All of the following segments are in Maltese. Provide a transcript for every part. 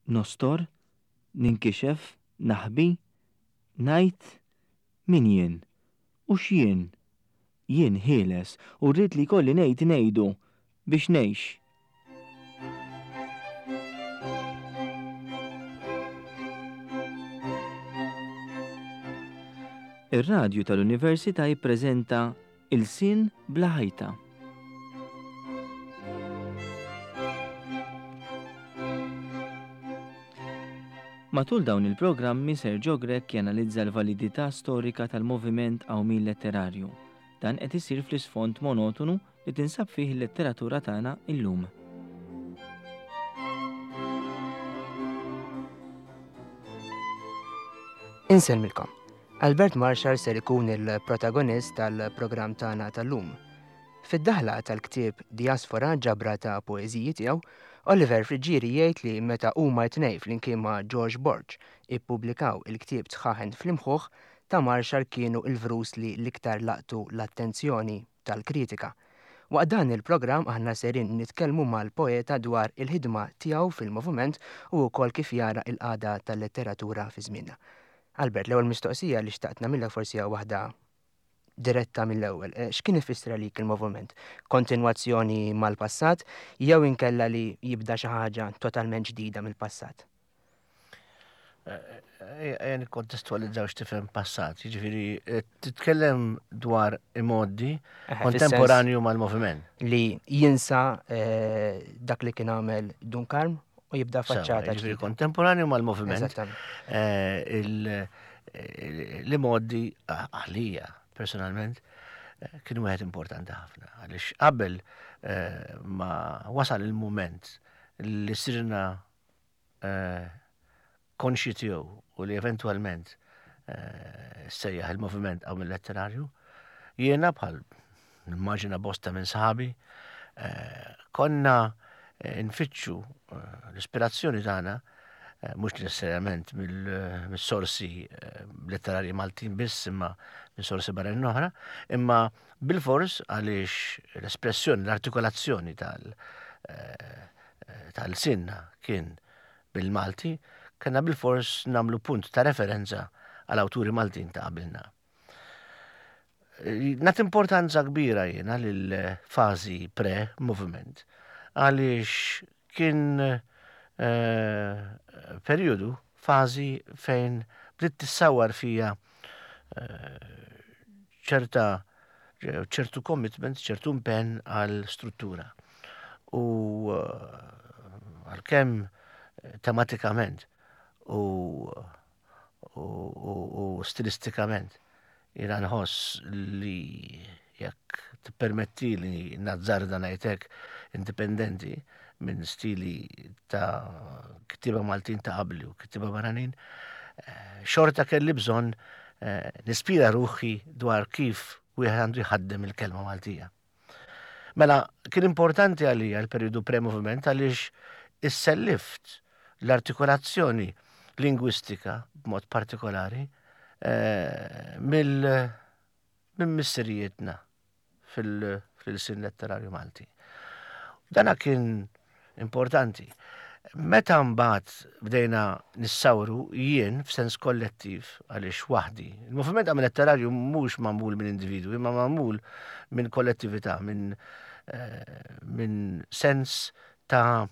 Nostor? Ninkixef? Naħbi? Ngħid? Min jien? U x'jien? Jien ħieles u rrid li jkolli ngħid ngħidu biex ngħix. Ir-radju tal-Università jippreżenta Ilsien bla ħajta. Matul dawn il-programmi Sergio Grech janalizza l-validità storika tal-moviment qawmien letterarju. Dan qed isir fl-isfond monotonu li tinsab fih il-letteratura tagħna illum. Insellmilkom. Albert Marshall ser ikun il-protagonist tal-programm tagħna tal-lum. Fid-daħla tal-ktieb Diaspora ġabra ta' poeżiji tiegħu, Oliver Friggieri jgħid li meta huma t-tnejn flimkien ma' George Borg ippubblikaw il-ktieb Dħaħen fl-Imħuħ, ta' Marshall kienu l-vrus li l-iktar laqtu l-attenzjoni tal-kritika. Waqt dan il-programm aħna serin nitkellmu mal-poeta dwar il-ħidma tiegħu fil-moviment u wkoll kif jara l-qagħda tal-letteratura fi żmienna. Albert, l-ewwel mistoqsija li xtaqt nagħmilek forsi hija waħda diretta mill-ewwel. Eh, x'kien ifisser għalik il-moviment? Kontinwazzjoni mal-passat jew inkella li jibda xi ħaġa totalment ġdida mill-passat? Ejja nikkontestualizzaw x'tifhem passat, jiġifieri eh, titkellem dwar imoddi eh, kontemporanju mal-moviment. Li jinsa eh, dak li kien għamel Dun Karm u jibda faċċata. Jiġifieri kontemporanju mal-moviment. L-imoddi għalija personalment kien wieħed importanti ħafna għaliex qabel ma wasal il-mument li sirna konxji tiegħu u li eventwalment sejjaħ il-moviment għaw mill-letterarju, jiena bħal nimmaġina bosta minn sħabi, konna nfittxu l-ispirazzjoni tagħna mhux necessarjament mill-sorsi letterarji Maltin biss imma minn sorsi barranin oħra, imma bilfors għaliex l-espressjoni, l-artikolazzjoni tal- ta' lsienna kien bil-Malti, kellna bilfors nagħmlu punt ta' referenza għal awturi Maltin ta' qabilna. Nagħti importanza kbira jiena lil fażi pre-movement għaliex kien eh, periodu, fażi fejn bdiet tissawar fija eh, ċerta ċertu commitment, ċertu impenn għal struttura. U eh, għalkemm eh, tematikament u, u, u, u stilistikament jiena nħoss li jekk tippermetti li nazzarda ngħidlek indipendenti minn stili ta' kittieba Maltin ta' qabli u kittieba barranin, eh, xorta kelli bżonn eh, nispira ruħi dwar kif wieħed għandu jħaddem il-kelma Maltija. Mela, kien importanti għalija l-periodu pre-moviment għaliex issellift l-artikolazzjoni lingwistika b'mod partikolari eh, mill minn missirijietna fil-sin letterarju Malti. Dana kien importanti. Meta mbagħad bdejna nissawru jien f'sens kollettiv għaliex waħdi. Il-moviment għamil letterarju mhux magħmul minn individwi, ma magħmul minn kollettività, minn eh, min sens ta'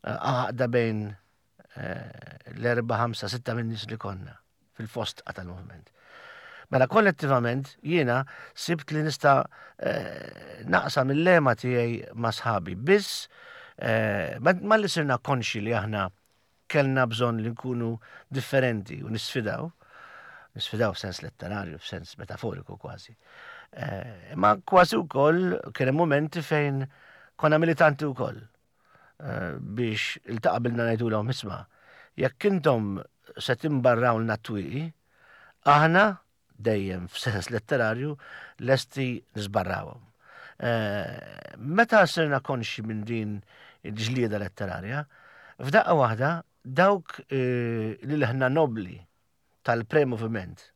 għaqda bejn eh, l-erba, ħamsa, sitta minn nies li konna fil-fostqa tal-moviment. Mela kollettivament jiena sibt li nista' eh, naqsam il-lema tiegħi ma' sħabi. Biss eh, ma li sirna konxi li aħna kellna bżonn li nkunu differenti u nisfidaw, nisfidaw f'sens letterarju, f'sens metaforiku kważi. Eh, ma kważi wkoll kien hemm momenti fejn konna militanti wkoll. Eh, biex il-taqabilna ngħidulhom isma' jekk intom se timbarrawlna t-twieqi, aħna dejjem f'sens letterarju lesti nisbarrawhom. Eh, meta sirna konxi minn din il-ġlieda letterarja, f'daqqa waħda dawk eh, li leħna nobli tal-pre-moviment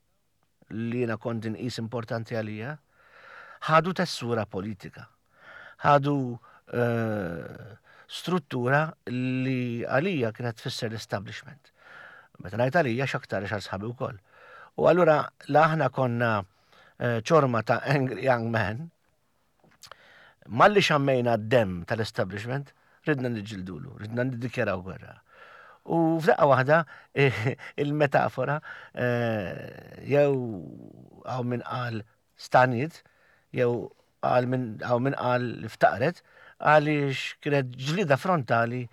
li jiena kont inqis importanti għalija, ħadu tessura politika. Ħadu eh, struttura li għalija kienet tfisser l-establishment. Meta ngħid għalija x'aktar għal sħabi wkoll. U allura la aħna konna eh, ċorma ta' angry young man, malli xammejna d-dem tal-establishment, ridna niġġildulu, ridna niddikjaraw gwerra. U f'daqqa waħda il-metafora eh, jew hawn min qal staniet jew qal min hawn min qal li ftaqret għaliex kienet ġlida frontali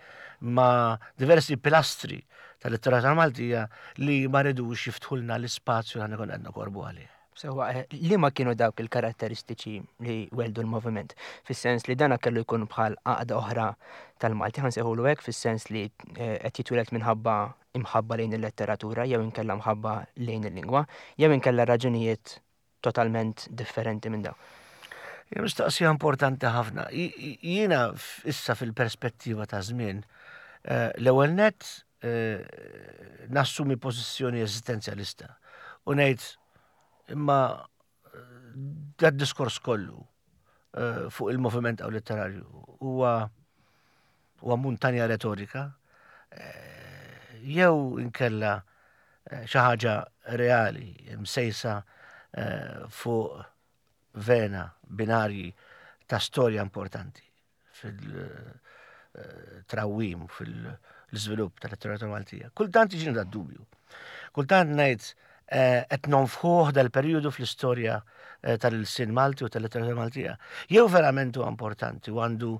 ma' diversi pilastri tal-letteratura Maltija li ma ridux jiftħulna l-ispazju li aħna konna qed nokorbu għalih. Sewwa, eh, liema kienu dawk il-karatteristiċi li weldu l-moviment? Fis-sens li dana kellu jkun bħal għaqda oħra tal-Malti, ħa nsejħulu hekk, fis-sens li eh, qed jitwieled minħabba imħabba lejn il-letteratura jew inkella mħabba lejn il-lingwa, jew inkella raġunijiet totalment differenti minn dawn. Hija mistoqsija importanti ħafna. Jiena issa fil-perspettiva ta' żmien, eh, l-ewwel nett eh, nassumi pożizzjoni eżistenzjalista u ngħid imma eh, dat diskors kollu fuq il-moviment għaw letterarju huwa huwa muntanja retorika jew inkella xi ħaġa reali msejsa fuq vena binarji ta' storja importanti fil-trawwim, fil-żvilupp tal-letteratura Maltija. Kultant jiġini da dubju. Kultant ngħid eh, qed nonfħuh dal-perjodu fl-istorja eh, tal-sin Malti u tal-letteratura Maltija. Jew verament huwa importanti u għandu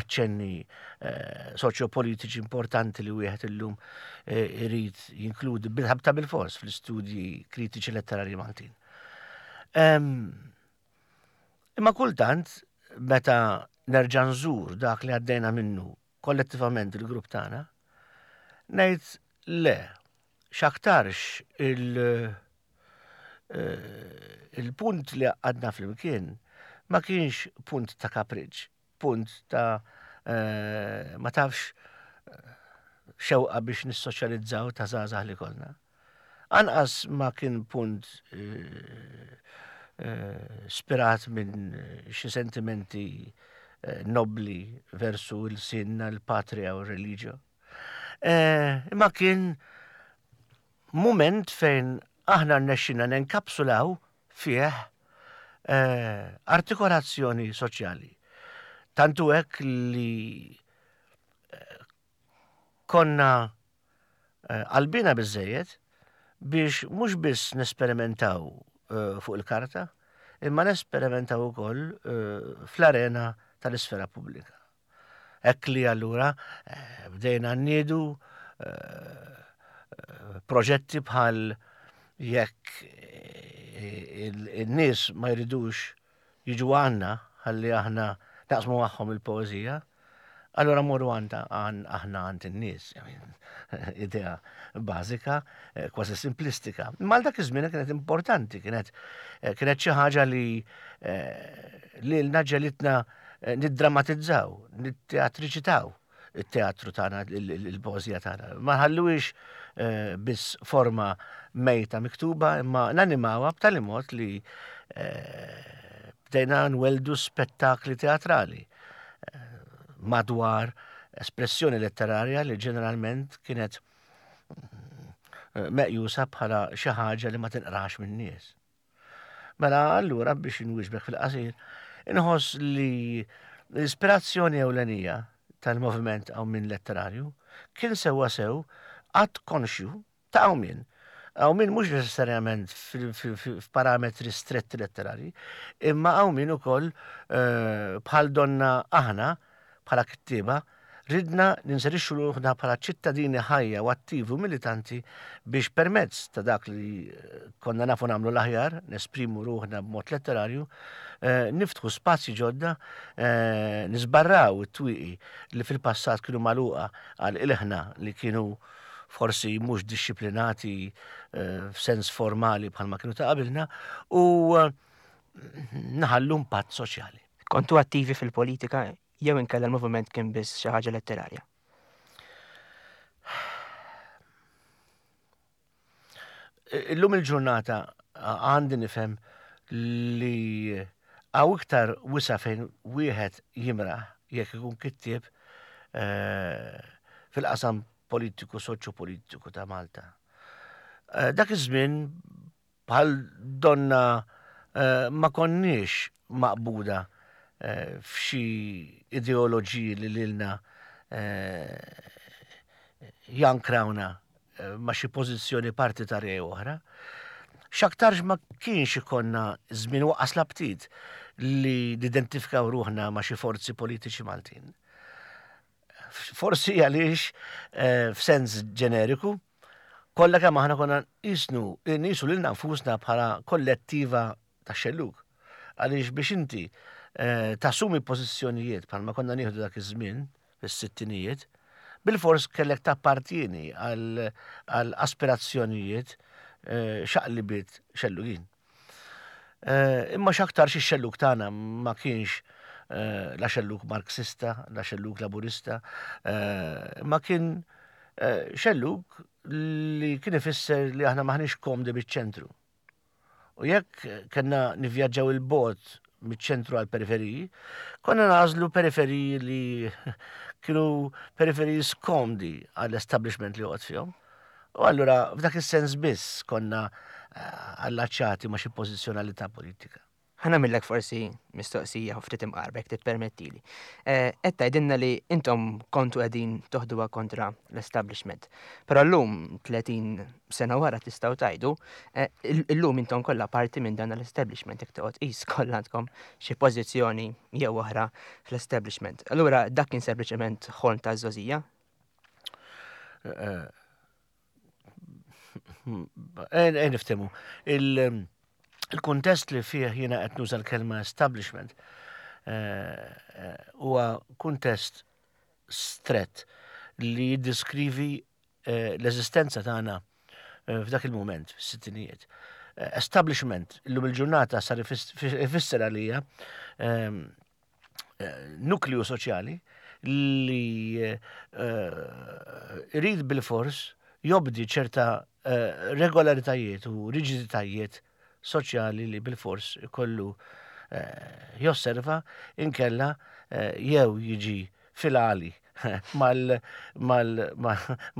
aċċenni eh, soċjopolitiċi importanti li wieħed illum irid jinkludi bil-ħabta bil-fors fl-istudji kritiċi letterarji Maltin. Imma kultant meta nerġa' nżur dak li għaddejna minnu kollettivament il-grupp tagħna, ngħid le, x'aktarx il- eh, il-punt li għadna flimkien ma kienx punt ta' kapriċ, punt ta' eh, ma tafx eh, xewqa biex nissoċjalizzaw ta' żgħażagħ li konna. Anqas ma kien punt spirat minn xi sentimenti nobbli versu l-sinna, l-patria u r-reliġjo. Imma kien mument fejn aħna rnexxina nenkapsulaw fih artikolazzjoni soċjali. Tantu hekk li konna qalbina biżżejjed biex mhux biss nesperimentaw fuq il-karta, imma nesperimentaw ukoll fl-arena tal-isfera pubblika. Hekk li allura bdejna nniedu proġetti bħal jekk in-nies ma jridux jiġu għandna ħalli aħna naqsmu magħhom il-poeżija, allura morru għand aħna għand in-nies. Idea bażika, eh, kważi simplistika. Ma dak iż-żmien kienet importanti, kienet eh, kienet xi ħaġa li eh, li l-naġġelitna niddramatizzaw, nitteatriċitaw. it-teatru tagħna, il-poeżija tagħna. Ma nħalluhiex eh, biss forma mejta miktuba, imma nanimawha b'tali mod li eh, bdejna nweldu spettakli teatrali eh, madwar espressjoni letterarja li ġeneralment kienet meqjusa bħala xi ħaġa li ma tinqrax min-nies. Mela allura biex inwieġbek fil-qasir, inħoss li l-ispirazzjoni ewlenija tal-moviment qawmien letterarju kien sewwa sew att konxju ta' qawmien. Qawmien mhux neċessarjament f'parametri stretti letterarji, imma qawmien ukoll eh, bħal donna aħna Bħala kittieba, ridna ninserixxu ruħna bħala ċittadini ħajja u attivi u militanti biex permezz ta' dak li konna nafu nagħmlu l-aħjar, nesprimu ruħna b'mod letterarju, niftħu spazji ġodda, niżbarraw it-twieqi li fil-passat kienu magħluqa għal ilħna li kienu forsi mhux dixxiplinati f'sens formali bħalma kienu ta' qabilna u naħallu impatt soċjali. Kontu attivi fil-politika jew inkella l-moviment kien biss xi ħaġa letterarja? Illum il-ġurnata għandi nifhem li hawn iktar wisa' fejn wieħed jimraħ jekk ikun kittieb. fil-qasam politiku soċjopolitiku ta' Malta. Dak iż-żmien bħal donna ma konniex maqbuda f'xi ideoloġiji li lilna jankrawna ma' xi pożizzjoni partitarja jew oħra. X'aktarx ma kienx ikollna żmien u anqas l-aptit li nidentifikaw ruħna ma' xi forzi politiċi Maltin. Forsi għaliex f'sens ġeneriku, kollha kemm aħna konna nqisnu nqisu lilna nfusna bħala kollettiva tax-xellug. Għaliex biex inti eh, tassumi pożizzjonijiet bħalma konna nieħdu dak iż-żmien fis-sittinijiet, bilfors kellek tappartieni għal aspirazzjonijiet eh, xaqlibiet xellugin. Eh, imma x'aktarx ix-xellug tagħna ma kienx eh, la xellug Marxista, la xellug Laburista, eh, ma kien xellug li kien ifisser li aħna maħniex komdi biċ-ċentru. U jekk kellna nivvjaġġaw il-bot miċ-ċentru għal periferiji, konna nażlu periferiji li kienu periferiji skomdi għall-establishment li joqgħod fihom. U allura f'dak is-sens biss konna eh, allaċċati ma' xi pożizzjonalità politika. Ħa nagħmillek forsi mistoqsija ftit imqarba jekk tippermettili. Eh, qed tgħidilna li intom kontu qegħdin toħduha kontra l-establishment. Però llum 30 sena wara tistgħu tgħidu, eh, illum intom kollha parti minn dan l-establishment jekk toqgħod qis kollha għandkom xi pożizzjoni jew oħra fl-establishment. Allura dak kien sempliċement ħolm ta' żgħożija? Eh, eh, niftemu. Il-kuntest li fih jiena qed nuża l-kelma establishment eh, huwa kuntest strett li jiddiskrivi l-eżistenza tagħna f'dak il-mument, fis-sittinijiet. Establishment illum il-ġurnata sar ifisser għalija ehm, nukleu soċjali li eh, irid bil-fors jobdi ċerta eh, regolaritajiet u riġiditajiet soċjali li bil-fors ikollu eh, josserva inkella jew jiġi fil-għali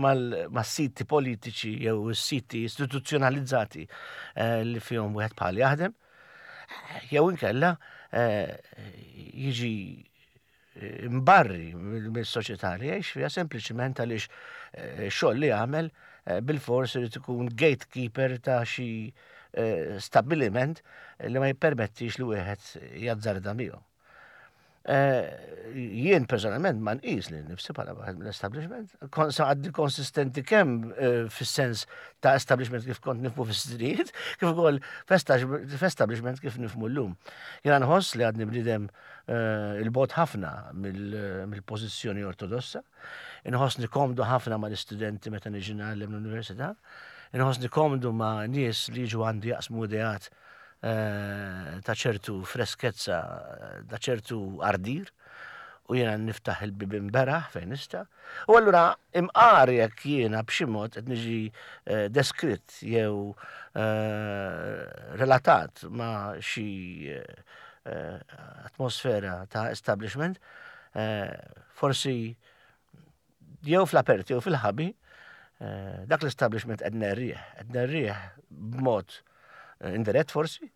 mal-siti politiċi jew siti istituzzjonalizzati li fihom wieħed bħal jaħdem Jew inkella eh, jiġi eh, mbarri mill-soċjetà li jgħix fiha sempliċement għaliex eh, xogħol li jagħmel bil-fors irid ikun gatekeeper ta' xi stabbiliment li ma jippermettix li wieħed jazzarda miegħu. Eh, jien personalment ma nqis li nifsi bħala waħed mill-establishment. Għaddi konsistenti kemm eh, fis-sens ta' establishment kif kont nifmu fis-srijiet, kif ukoll f'establishment kif nifmu llum. Jiena nħoss li għadni bniedem eh, il-bot ħafna mill-pożizzjoni ortodossa, inħossni komdu ħafna mal-istudenti meta niġi ngħallem l-università, inħossni komdu ma' nies li jiġu għandi jaqsmu ideat Eh, ta' ċertu freskezza, ta' ċertu ardir, u jiena niftaħ il-bibin beraħ fejn nista'. U allura imqar jekk jiena b'xi mod qed niġi eh, deskritt jew eh, relatat ma' xi atmosfera ta' establishment, forsi jew fl-apert jew fil-ħabi, eh, dak l-establishment qed nerrieħ, qed nerrieħ b'mod eh, indirett forsi,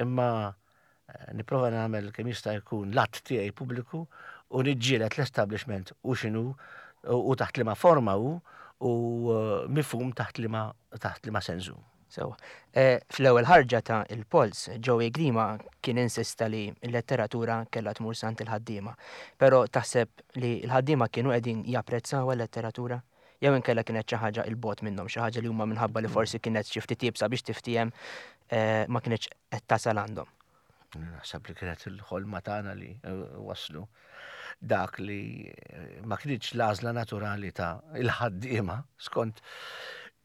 imma eh, nipprova nagħmel kemm jista' jkun l-att tiegħi pubbliku u niġġieled l-establishment u x'inhu u taħt liema forma hu u mifhum taħt liema taħt liema sensu. Sewwa. Eh, fl-ewwel ħarġa ta' Il-Polz, Joey Grima kien insista li l-letteratura kellha tmur sant il-ħaddiema. Però taħseb li l-ħaddiema kienu qegħdin japprezzawha l-letteratura? Jew inkella kienet xi ħaġa 'il bogħod minnhom, xi ħaġa li huma minħabba li forsi kienet xi ftit iebsa biex tiftiehem eh, ma kinitx qed tasal għandhom? Naħseb li kienet il-ħolma tagħna li eh, waslu dak li eh, ma kienx l-għażla naturali ta' il-ħaddiema skont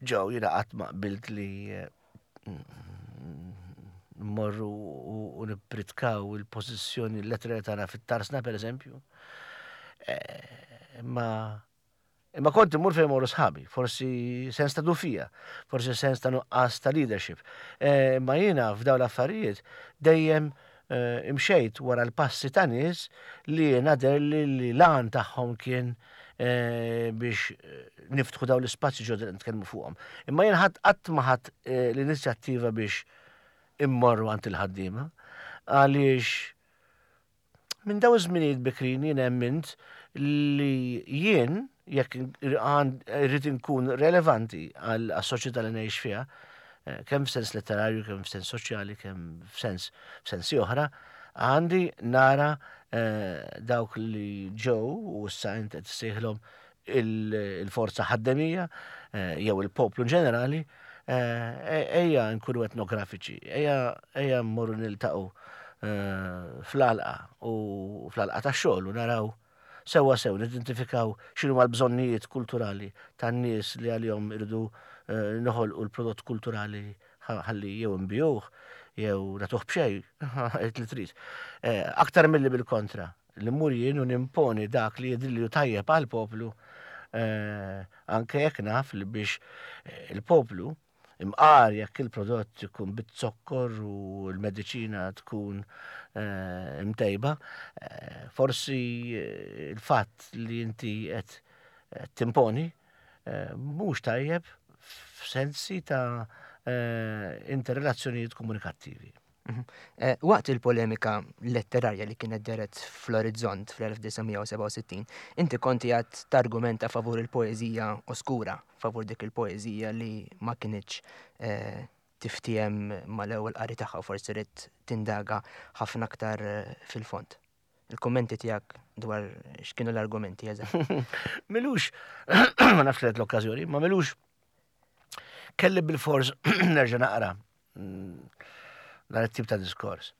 ġew jiena qatt ma qbilt li eh, mmorru u nippritkaw il-pożizzjoni letterali tagħna fit-tarsna pereżempju. Ma Imma kont immur fejn morru sħabi, forsi sens ta' dufija, forsi sens ta' nuqqas ta' leadership. Eh, imma jiena f'dawn l-affarijiet dejjem eh, imxejt wara l-passi ta' nies li jiena deherli li l-għan tagħhom kien biex niftħu dawn l-ispazji ġodda li nitkellmu fuqhom. Imma jien ħadd qatt ma ħadd l-inizjattiva biex immorru għand il-ħaddiema għaliex minn daw iż-żminijiet bikrin jien emmint li jien jekk irrid inkun relevanti għas-soċjetà li ngħix fiha, kemm f'sens letterarju, kemm f'sens soċjali, kemm f'sens f'sensi oħra, għandi nara dawk li ġew u issa int qed issejħilhom il-forza ħaddemija jew il-poplu ġenerali, ejja nkunu etnografiċi, ejja mmorru niltaqgħu fl-għalqa u fl-għalqa tax-xogħol u naraw sewwa sew nidentifikaw x'inhuma l-bżonnijiet kulturali tan-nies li għalihom irridu noħolqu l-prodott kulturali ħalli jew inbigħuh jew nagħtuh b'xejn, għid li trid. Aktar milli bil-kontra, li mmur jien u nimponi dak li jidhirli hu tajjeb għall-poplu, anke jekk naf li biex il-poplu Imqar jekk il-prodott ikun biz-zokkor u l-mediċina tkun imtejba, forsi l-fatt li inti qed timponi mhux tajjeb f'sensi ta' interrelazzjonijiet komunikattivi. Waqt il-polemika letterarja li kienet dehret fl-Orizzont fl-1967, inti kont qiegħed targumenta favur il-poeżija oskura, favur dik il-poeżija li ma kinitx tiftiehem mal-ewwel qari tagħha u forsi ridt tindaga ħafna aktar fil-fond. Il-kummenti tiegħek dwar x'kienu l-argumenti eżatt. Milux, ma nafx li l-okkażjoni, ma milux kelli bil-fors nerġa' naqra dan it-tip ta' diskors.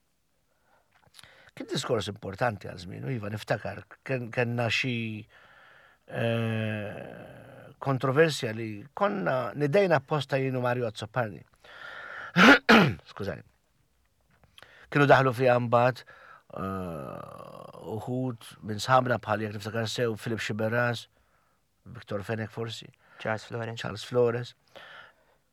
Kien diskors importanti għal żmien, iva niftakar, kellna xi eh, kontroversja li konna nidejna apposta jienu Mario Azzopardi. Skużani. Kienu daħlu fiha mbagħad eh, uħud minn sħabna bħal jekk niftakar sew Filip Xiberras, Victor Fenech forsi. Charles Flores. Charles Flores.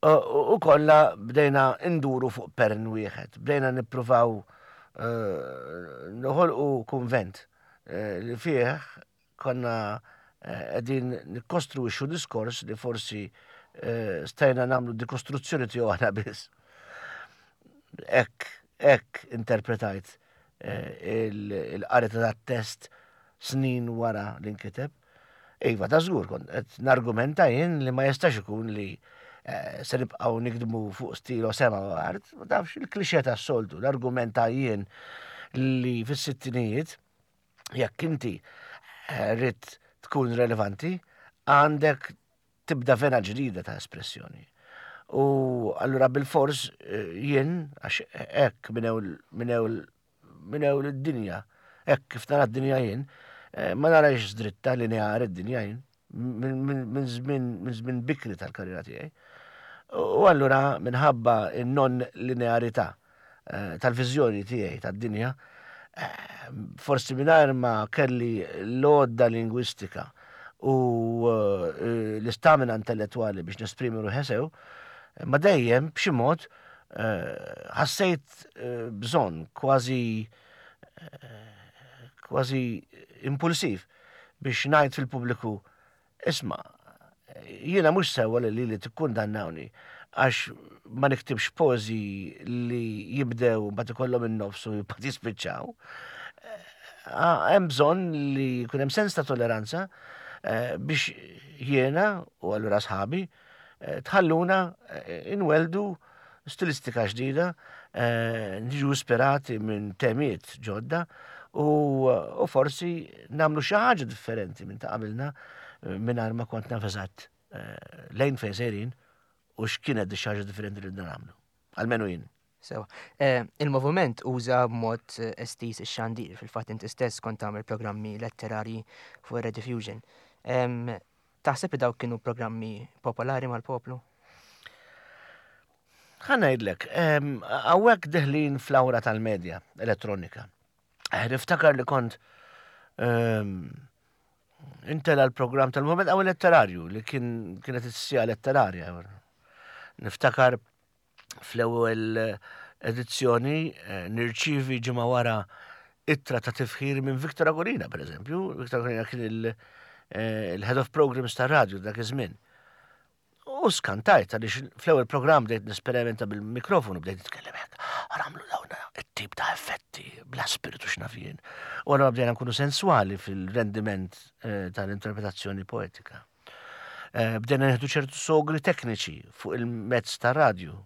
U kollha bdejna nduru fuq pern wieħed, bdejna nippruvaw eh, noħolqu kunvent eh, li fih konna eh, qegħdin nikkostruixxu diskors li forsi stajna nagħmlu dikostruzzjoni tiegħu aħna biss. Hekk hekk interpretajt il-qari ta' test snin wara li nkiteb. Iva, ta' żgur kont qed nargumenta jien li ma jistax ikun li eh, se nibqgħu nikdmu fuq stilo sema u art, ma tafx il-klixe tas-soltu, l-argumenta jien li fis-sittinijiet jekk inti eh, rrid tkun relevanti, għandek tibda vena ġdida ta' espressjoni. U allura bil-fors eh, jien, għax hekk minn minn ewl id-dinja, hekk kif nara d-dinja jien, eh, ma narax dritta lineari d-dinja jien, minn żmien bikri tal-karriera tiegħi. U allura minħabba non linearità eh, tal-viżjoni tiegħi tad-dinja, eh, forsi mingħajr ma kelli l-għodda lingwistika u l-istamina intellettwali biex nesprimi ruħi sew, ma dejjem b'xi mod ħassejt bżonn kważi kważi impulsiv biex ngħid fil-pubbliku isma' jiena mhux sewwa li lili tikkundannawni għax ma niktibx poeżiji li jibdew mbagħad ikollhom in-nofs u mbagħad jispiċċaw. Hemm bżonn li jkun hemm sens ta' toleranza biex jiena u allura sħabi Tħalluna inwelldu stilistika ġdida, niġu ispirati minn temiet ġodda u forsi nagħmlu xi ħaġa differenti minn ta' qabilna mingħajr ma kont naf eżatt lejn fejn sejrin u x'kienet di xi ħaġa differenti li ridna nagħmlu. Almenu jien. Sewa. Il-moviment uża b'mod estiż ix-xandir, fil-fatt inti stess kont tagħmel programmi letterarji fuq ir-Rediffusion. Taħseb li dawk kienu programmi popolari mal-poplu? Ħa ngħidlek, hawnhekk deħlin fl-awra tal-medja elettronika. Eh, niftakar li kont intela l-programm tal-Movement Għaw Letterarju li kien kienet is-sija letterarja. Niftakar Fl-ewwel edizzjoni eh, nirċievi ġimgħa wara ittra ta' tifħir minn Victor Agolina, per eżempju. Victor Agolina kien il-head of programs tar-radju dak iż-żmien. U skantajt għaliex fl-ewwel programm bdejt nesperimenta bil-mikrofonu, bdejt nitkellem hekk. Għamlu dawn it-tip ta' effetti bla spiritu x'naf jien. U allura bdejna nkunu sensuali fil-rendiment eh, tal-interpretazzjoni poetika. Eh, bdejna nieħdu ċertu sogri tekniċi fuq il-mezz ta' radju.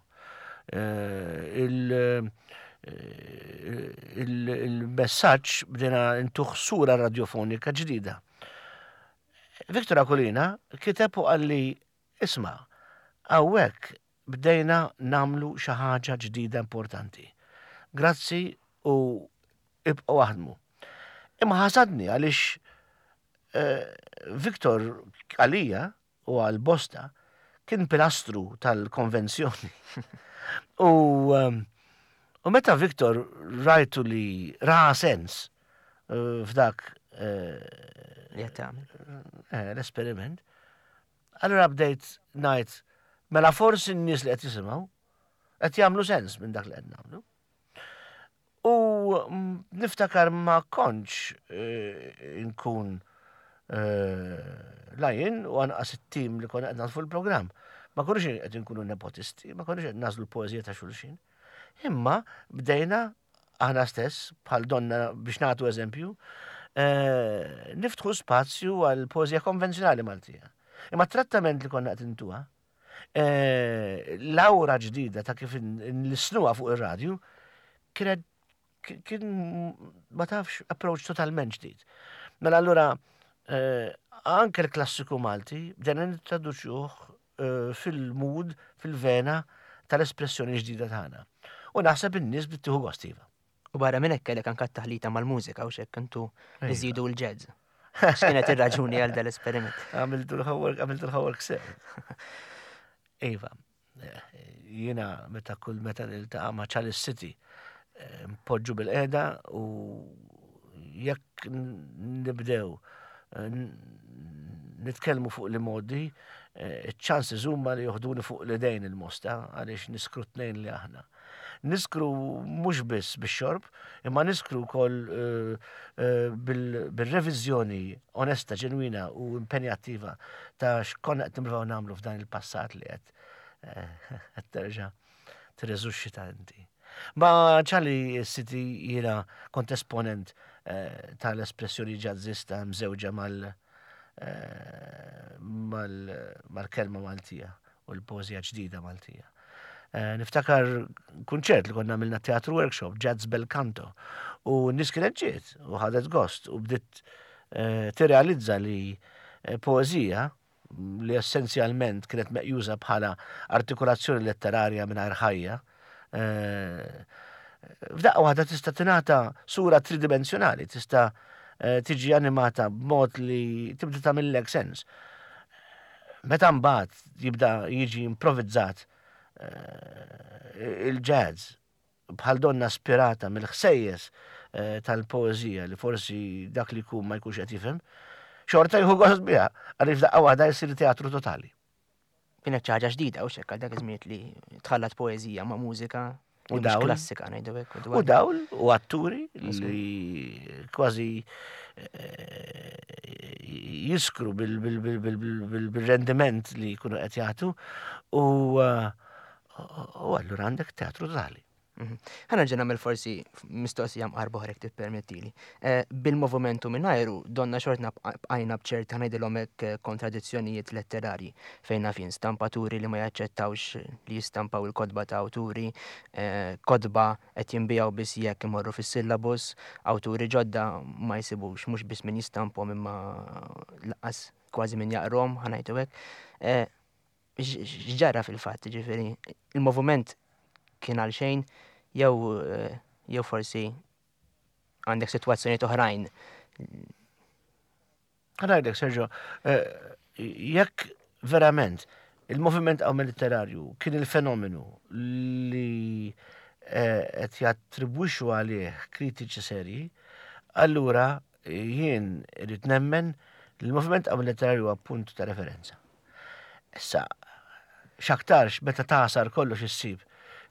Eh, il-messaġġ bdejna ntuħ sura radjofonika ġdida. Victor Aquilina kiteb u qalli isma' hawnhekk bdejna nagħmlu xi ħaġa ġdida importanti. Grazzi u ibqgħu aħdmu. Imma ħasadni għaliex eh, Victor għalija u għal bosta kien pilastru tal-konvenzjoni. U, ehm, u meta Victor rajtu li ra sens eh, f'dak eh, eh, l-esperiment, allura bdejt ngħid mela forsi n-nies li qed jisimgħu qed jagħmlu sens minn dak li qed nagħmlu. U niftakar ma kontx inkun la jien u anqas it-tim li konna qed nagħtu il-programm. Ma konniex qed inkunu nepotisti, ma konniex qed nażlu l-poeżija ta' xulxin. Imma bdejna aħna stess, bħal donna biex nagħtu eżempju, niftħu spazju għal poeżija konvenzjonali Maltija. Imma trattament li konna qed intuha, L-awra ġdida ta' kif nlissnuha fuq ir-radju kienet kien ma tafx approach totalment ġdid. Mela allura eh, anke l-klassiku Malti bdejna nittraduċuh eh, fil-mood, fil-vena tal-espressjoni ġdida tagħna. U naħseb in-nies bdiet tieħu gost iva. U barra minn hekk kellek anke t-taħlita mal-mużika u x'hekk intu iżidu l-jazz. X'kienet ir-raġuni għal dal-esperiment? Għamiltu l-homework, għamiltu l-homework sew. Iva, jiena meta kull meta niltaqa' ma' Charles City, eh, npoġġu bil-qeda u jekk nibdew eh, nitkellmu fuq li modi, eh, ċ-chances huma li joħduni fuq l-idejn il-mosta għaliex niskru tnejn li aħna. Niskru mhux biss bix-xorb, imma niskru wkoll eh, eh, bil-reviżjoni onesta, ġenwina u impenjattiva ta' x'konna qed nippruvaw nagħmlu f'dan il-passat li qed eh, qed terġa' tirreżuxxita inti. Ma ċali City jiena kont esponent tal-espressjoni ġazzista mżewġa mal mal-kelma Maltija. u l-poeżija ġdida Maltija. Eh, niftakar kunċert li konna għamilna teatru workshop, Jazz Bel Canto, u n-nies kienet ġiet u ħadet gost u bdiet eh, tirrealizza li eh, poeżija li essenzjalment kienet meqjuża bħala artikolazzjoni letterarja mingħajr ħajja, f'daqqa waħda tista' tingħata sura tridimensjonali, tista' tiġi animata b'mod li tibda tagħmillek sens. Meta mbagħad jibda jiġi improvizzat eh, il-jazz bħal donna spirata mill-ħsejjes eh, tal-poeżija li forsi dak li jkun ma jkunx qed jifhem, xorta jieħu gost biha għaliex daqqa waħda jsir teatru totali. Kienet xi ħaġa ġdida u xekk għal dak iż-żmien li tħallat poeżija ma' mużika u dawl klassika ngħidu hekk. U dawl u atturi li kważi eh, jiskru bil-rendiment li jkunu qed jagħtu u eh, u allura għandek teatru totali. Mhm. Ħa nerġa' nagħmel forsi mistoqsija mqarba oħra jekk tippermettili. Eh, bil-movumentu mingħajru donna xortna bqajna b'ċerta ngħidilhom hekk eh, kontradizzjonijiet letterarji fejn naf jien stampaturi li ma jaċċettawx li jistampaw il-kotba ta' awturi, eh, kotba qed jinbiegħu biss jekk imorru fis-syllabus, awturi ġodda ma jsibux mhux biss min jistampahom imma lanqas kważi min jaqrahom, ħa ngħidu hekk. X'ġara fil-fatt, ġifieri, il-moviment kien għal xejn jew eh, jew forsi għandek sitwazzjonijiet oħrajn. Għanajdek, Sergio, eh, jekk verament il-moviment għaw letterarju kien il-fenomenu li eh, qed jattribwixxu għalih kritiċi serji, allura jien irid nemmen li l-moviment għaw letterarju huwa punt ta' referenza. Issa, x'aktarx meta tagħsar kollox issib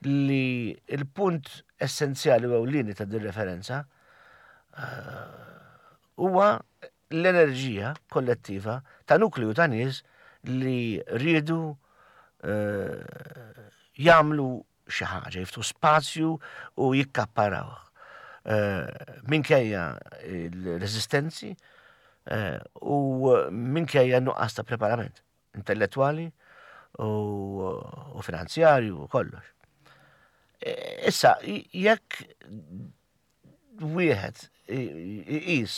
li l-punt essenzjali u ewlieni ta' din referenza eh, huwa l-enerġija kollettiva ta' nukleu ta' nies li riedu eh, jagħmlu xi ħaġa, jiftħu spazju u jikkapparawh. Eh, minkejja l-reżistenzi eh, u minkejja nuqqas ta' preparament intellettwali u finanzjarju u kollox. Eh, issa, jekk wieħed iqis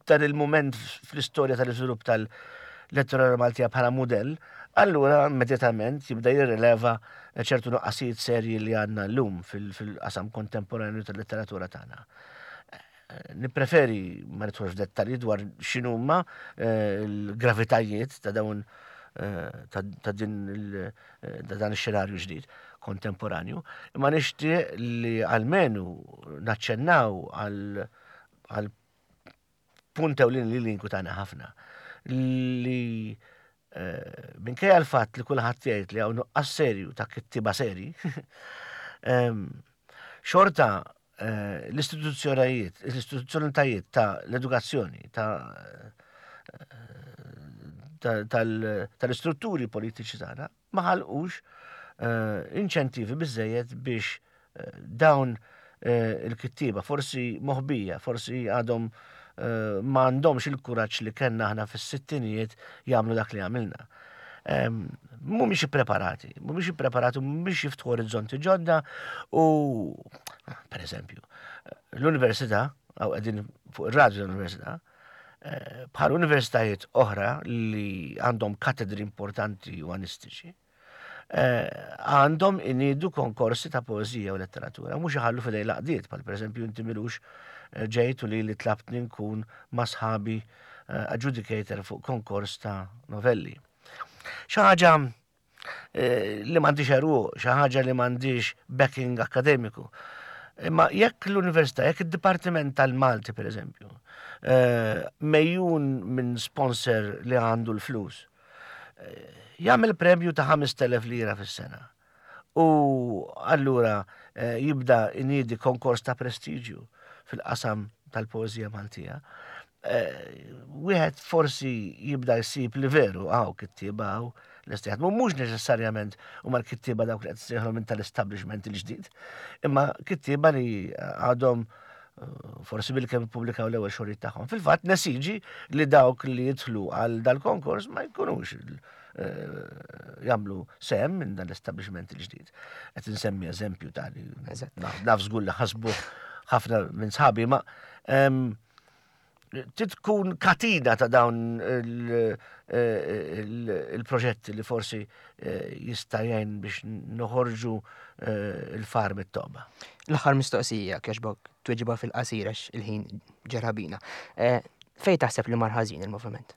dan il-mument fl-istorja tal-iżvilupp tal-letteratura Maltija bħala mudell, allura immedjatament jibda jirrileva ċertu nuqqasijiet serji li għandna llum fil-qasam kontemporanju tal-letteratura tagħna. Nippreferi ma nidħolx f'dettalji dwar x'inhuma eh, l-gravitajiet ta' dawn eh, ta' din eh, ta' dan ix-xenarju ġdid kontemporanju, imma nixtieq li almenu naċċennaw għal għal punt ewlieni li l-inkwitana ħafna li eh, minkejja l-fatt li kulħadd jgħid li hawn nuqqas serju ta' kittiba seri, ehm, xorta eh, l-istituzzjonijiet, l-istituzzjonitajiet ta' l-edukazzjoni, ta' eh, tal-istrutturi politiċi tagħna ma ħalqux inċentivi biżżejjed biex dawn il-kittieba, forsi moħbija, forsi għadhom ma għandhomx il-kuraġġ li kellna aħna fis-sittinijiet jagħmlu dak li għamilna. Mhumiex ippreparati, mhumiex ippreparati, mhumiex jiftħu orizzonti ġodda u per eżempju, l-università, għaw qegħdin fuq ir-radju l-università, eh, bħal universitajiet oħra li għandhom katedri importanti umanistiċi, eh, għandhom inidu konkorsi ta' poezija u letteratura, mhux iħallu fidej laqdiet, bħal pereżempju inti milux eh, ġejt u li li tlabtni nkun ma' sħabi adjudicator fuq konkors ta' novelli. Xi ħaġa Eh, li m'għandix eruq, xi ħaġa li m'għandix backing akademiku. Imma jekk l-università, jekk id-Dipartiment tal-Malti pereżempju, eh, mejjun minn sponsor li għandu l-flus, eh, jagħmel premju ta' 5,000 lira fis-sena. U allura jibda iniedi konkors ta' prestiġju fil-qasam tal-poeżija Maltija. Eh, wieħed forsi jibda jsib li veru għaw kittieba għaw lesti jaħdmu mhux neċessarjament huma l-kittieba dawk li qed sejħlu minn tal-establishment il-ġdid, imma kittieba li għadhom eh, forsi bil-kemm ippubblikaw l-ewwel xogħlijiet tagħhom. Fil-fatt nesiġi li dawk li jidħlu għal dal-konkors ma jkunux eh, jagħmlu sem minn dan l-establishment il-ġdid. Qed insemmi eżempju ta' li naf żgur li ħasbu ħafna minn sħabi ma trid tkun katina ta' dawn il-proġetti li forsi eh, jista' jgħin biex noħorġu eh, il-far mit-toqba. L-aħħar mistoqsija kiex tweġiba fil-qasir għax il-ħin ġerabina. Eh, fej taħseb li mar ħażin il-moviment?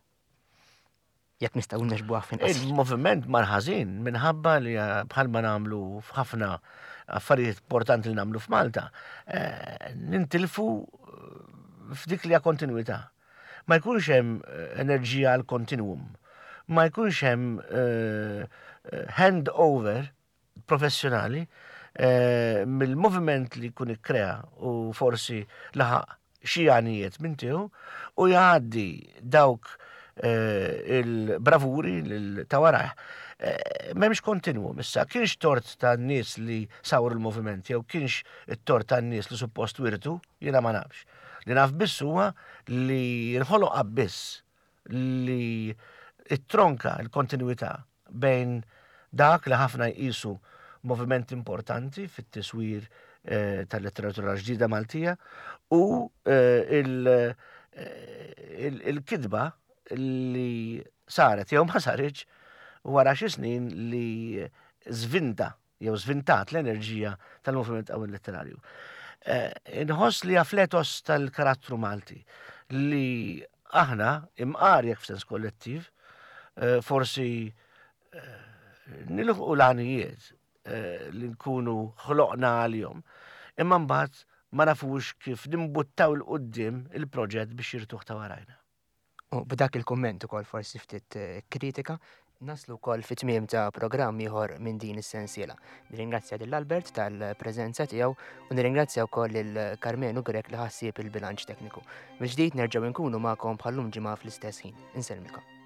Jekk nistgħu nixbuha fin Il-moviment mar ħażin minħabba li eh, bħalma nagħmlu f'ħafna affarijiet importanti li nagħmlu f'Malta, eh, nintilfu eh, f'dik li hija kontinwità. Ma jkunx hemm enerġija għal kontinwum. Ma jkunx hemm handover professjonali eh, mill-moviment li jkun ikkrea u forsi laħaq xi għanijiet minn tiegħu u jgħaddi dawk eh, il-bravuri lil ta' warajh. Eh, m'hemmx kontinwu issa, kienx tort ta' nies li sawru l-moviment jew kienx it-tort ta' nies li suppost wirtu, jiena ma nafx. Li naf biss huwa li nħoloq abbiss li it-tronka l-kontinwità bejn dak li ħafna jqisu moviment importanti fit-tiswir eh, tal-letteratura ġdida Maltija u eh, eh, il-kitba li saret jew ma saritx wara xi snin li żvinta jew żvintat l-enerġija tal-moviment qawwi letterarju. Eh, inħoss li fl-etos tal-karattru Malti li aħna imqar jekk f'sens kollettiv, eh, forsi eh, nilħqu l-għanijiet li nkunu ħloqna għalihom, imma mbagħad ma nafux kif nimbuttaw il-qudiem il-proġett biex jirtuħ ta' warajna. U b'dak il-kumment ukoll forsi ftit eh, kritika, Naslu wkoll fit-tmiem ta' programm ieħor minn din is-sensiela. Nirringrazzja lil Albert tal-preżenza tiegħu u nirringrazzja wkoll lil Karmenu Grech li ħassieb il-bilanċ tekniku. Mill-ġdid nerġgħu nkunu magħkom bħallum ġimgħa fl-istess ħin. Insellmilkom.